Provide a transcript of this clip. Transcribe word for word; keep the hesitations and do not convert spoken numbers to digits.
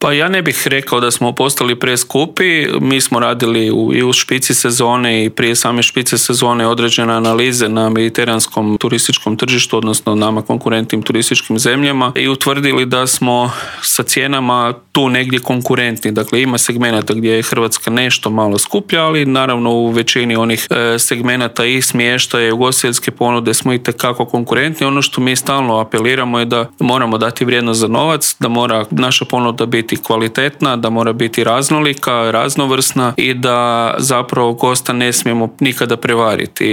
Pa ja ne bih rekao da smo postali preskupi. Mi smo radili u, i u špici sezone i prije same špice sezone određene analize na mediteranskom turističkom tržištu, odnosno nama konkurentnim turističkim zemljama i utvrdili da smo sa cijenama tu negdje konkurentni. Dakle, ima segmenata gdje je Hrvatska nešto malo skuplja, ali naravno u većini onih e, segmenata i smještaja i ugostiteljske ponude smo itekako konkurentni. Ono što mi stalno apeliramo je da moramo dati vrijednost za novac, da mora naša ponuda biti kvalitetna, da mora biti raznolika, raznovrsna i da zapravo gosta ne smijemo nikada prevariti.